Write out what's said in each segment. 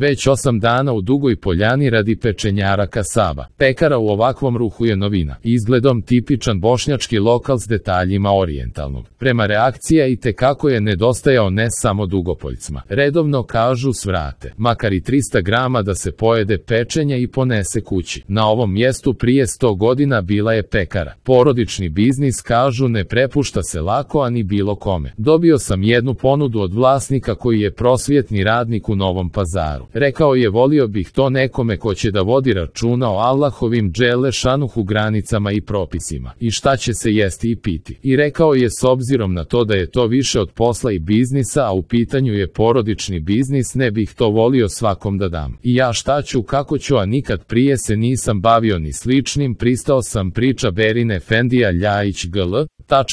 Već 8 dana u Dugoj Poljani radi pečenjara kasaba. Pekara u ovakvom ruhu je novina. Izgledom tipičan bošnjački lokal s detaljima orijentalnog. Prema reakcija i tekako je nedostajao ne samo Dugopoljcima. Redovno kažu svrate, makar i 300 grama da se pojede pečenja i ponese kući. Na ovom mjestu prije 100 godina bila je pekara. Porodični biznis, kažu, ne prepušta se lako, a ni bilo kome. Dobio sam jednu ponudu od vlasnika koji je prosvjetni radnik u Novom Pazaru. Rekao je, volio bih to nekome ko će da vodi računa o Allahovim dželle šanuhu granicama i propisima. I šta će se jesti i piti. I rekao je, s obzirom na to da je to više od posla i biznisa, a u pitanju je porodični biznis, ne bih to volio svakom da dam. I ja šta ću, kako ću, a nikad prije se nisam bavio ni sličnim, pristao sam, priča Berin Efendija Ljajić GL.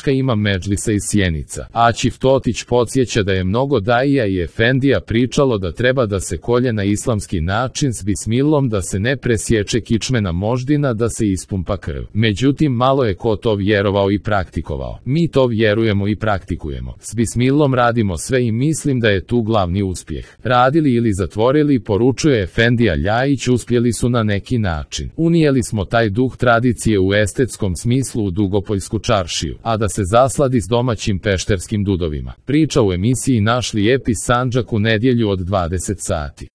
Imam Medžlisa iz Sjenica. Aćif Totić podsjeća da je mnogo daija i efendija pričalo da treba da se kolje na islamski način s bismilom, da se ne presječe kičmena moždina, da se ispumpa krv. Međutim, malo je ko to vjerovao i praktikovao. Mi to vjerujemo i praktikujemo. S bismilom radimo sve i mislim da je tu glavni uspjeh. Radili ili zatvorili, poručuje efendija Ljajić, uspjeli su na neki način. Unijeli smo taj duh tradicije u estetskom smislu u Dugopoljsku čaršiju, a da se zasladi s domaćim pešterskim dudovima. Priča u emisiji Naš lijepi Sandžak u nedjelju od 20 sati.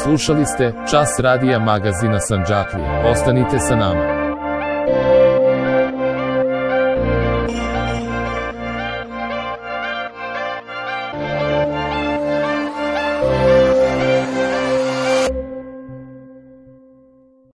Slušali ste Čas radija magazina Sandžaklija. Ostanite sa nama.